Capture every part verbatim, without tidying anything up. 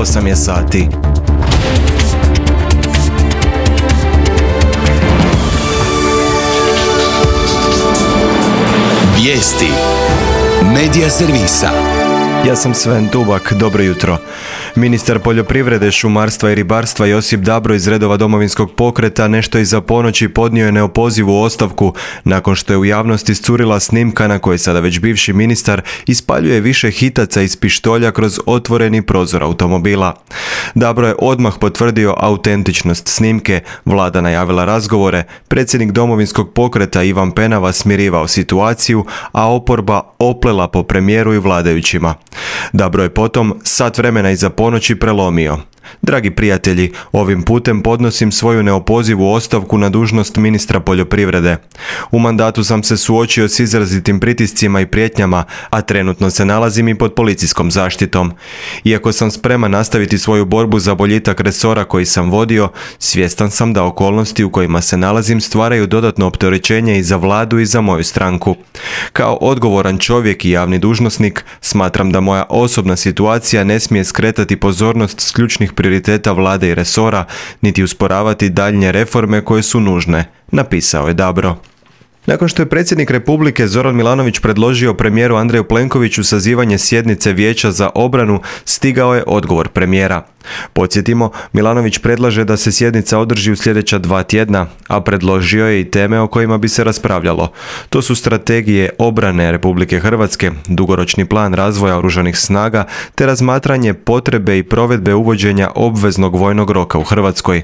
osam je sati. Vijesti Medija servisa. Ja sam Sven Dubak, dobro jutro. Ministar poljoprivrede, šumarstva i ribarstva Josip Dabro iz redova Domovinskog pokreta nešto iza ponoći podnio je neopozivu ostavku nakon što je u javnosti iscurila snimka na kojoj sada već bivši ministar ispaljuje više hitaca iz pištolja kroz otvoreni prozor automobila. Dabro je odmah potvrdio autentičnost snimke, vlada najavila razgovore, predsjednik Domovinskog pokreta Ivan Penava smirivao situaciju, a oporba oplela po premijeru i vladajućima. Dabro je potom sat vremena iza ponoći prelomio. Dragi prijatelji, ovim putem podnosim svoju neopozivu ostavku na dužnost ministra poljoprivrede. U mandatu sam se suočio s izrazitim pritiscima i prijetnjama, a trenutno se nalazim i pod policijskom zaštitom. Iako sam spreman nastaviti svoju borbu za boljitak resora koji sam vodio, svjestan sam da okolnosti u kojima se nalazim stvaraju dodatno opterećenje i za vladu i za moju stranku. Kao odgovoran čovjek i javni dužnosnik, smatram da moja osobna situacija ne smije skretati pozornost s ključnih prioriteta vlade i resora, niti usporavati daljnje reforme koje su nužne, napisao je Dabro. Nakon što je predsjednik Republike Zoran Milanović predložio premijeru Andreju Plenkoviću sazivanje sjednice Vijeća za obranu, stigao je odgovor premijera. Podsjetimo, Milanović predlaže da se sjednica održi u sljedeća dva tjedna, a predložio je i teme o kojima bi se raspravljalo. To su strategije obrane Republike Hrvatske, dugoročni plan razvoja oružanih snaga, te razmatranje potrebe i provedbe uvođenja obveznog vojnog roka u Hrvatskoj.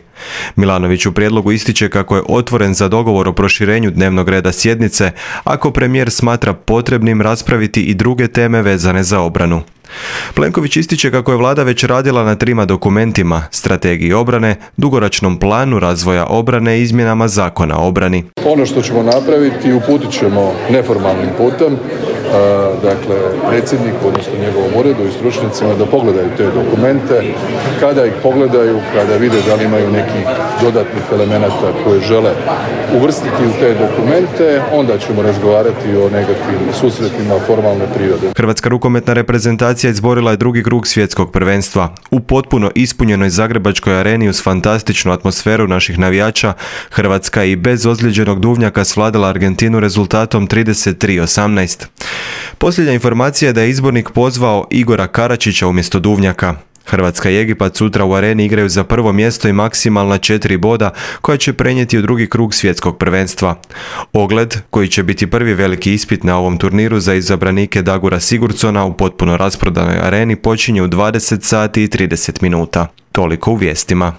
Milanović u prijedlogu ističe kako je otvoren za dogovor o proširenju dnevnog reda sjednice, ako premijer smatra potrebnim raspraviti i druge teme vezane za obranu. Plenković ističe kako je vlada već radila na trima dokumentima, strategiji obrane, dugoročnom planu razvoja obrane i izmjenama zakona o obrani. Ono što ćemo napraviti, uputit ćemo neformalnim putem, dakle predsjedniku, odnosno njegovom uredu i stručnjacima da pogledaju te dokumente. Kada ih pogledaju, kada vide da li imaju nekih dodatnih elemenata koje žele uvrstiti u te dokumente, onda ćemo razgovarati o nekakvim susretima formalne prirode. Hrvatska rukometna reprezentacija izborila je drugi krug svjetskog prvenstva. U potpuno ispunjenoj zagrebačkoj areni uz fantastičnu atmosferu naših navijača, Hrvatska i bez ozlijeđenog Duvnjaka svladala Argentinu rezultatom trideset tri osamnaest. Posljednja informacija je da je izbornik pozvao Igora Karačića umjesto Duvnjaka. Hrvatska i Egipat sutra u areni igraju za prvo mjesto i maksimalna četiri boda koja će prenijeti u drugi krug svjetskog prvenstva. Ogled, koji će biti prvi veliki ispit na ovom turniru za izabranike Dagura Sigurdsona u potpuno rasprodanoj areni, počinje u dvadeset sati i trideset minuta. Toliko u vijestima.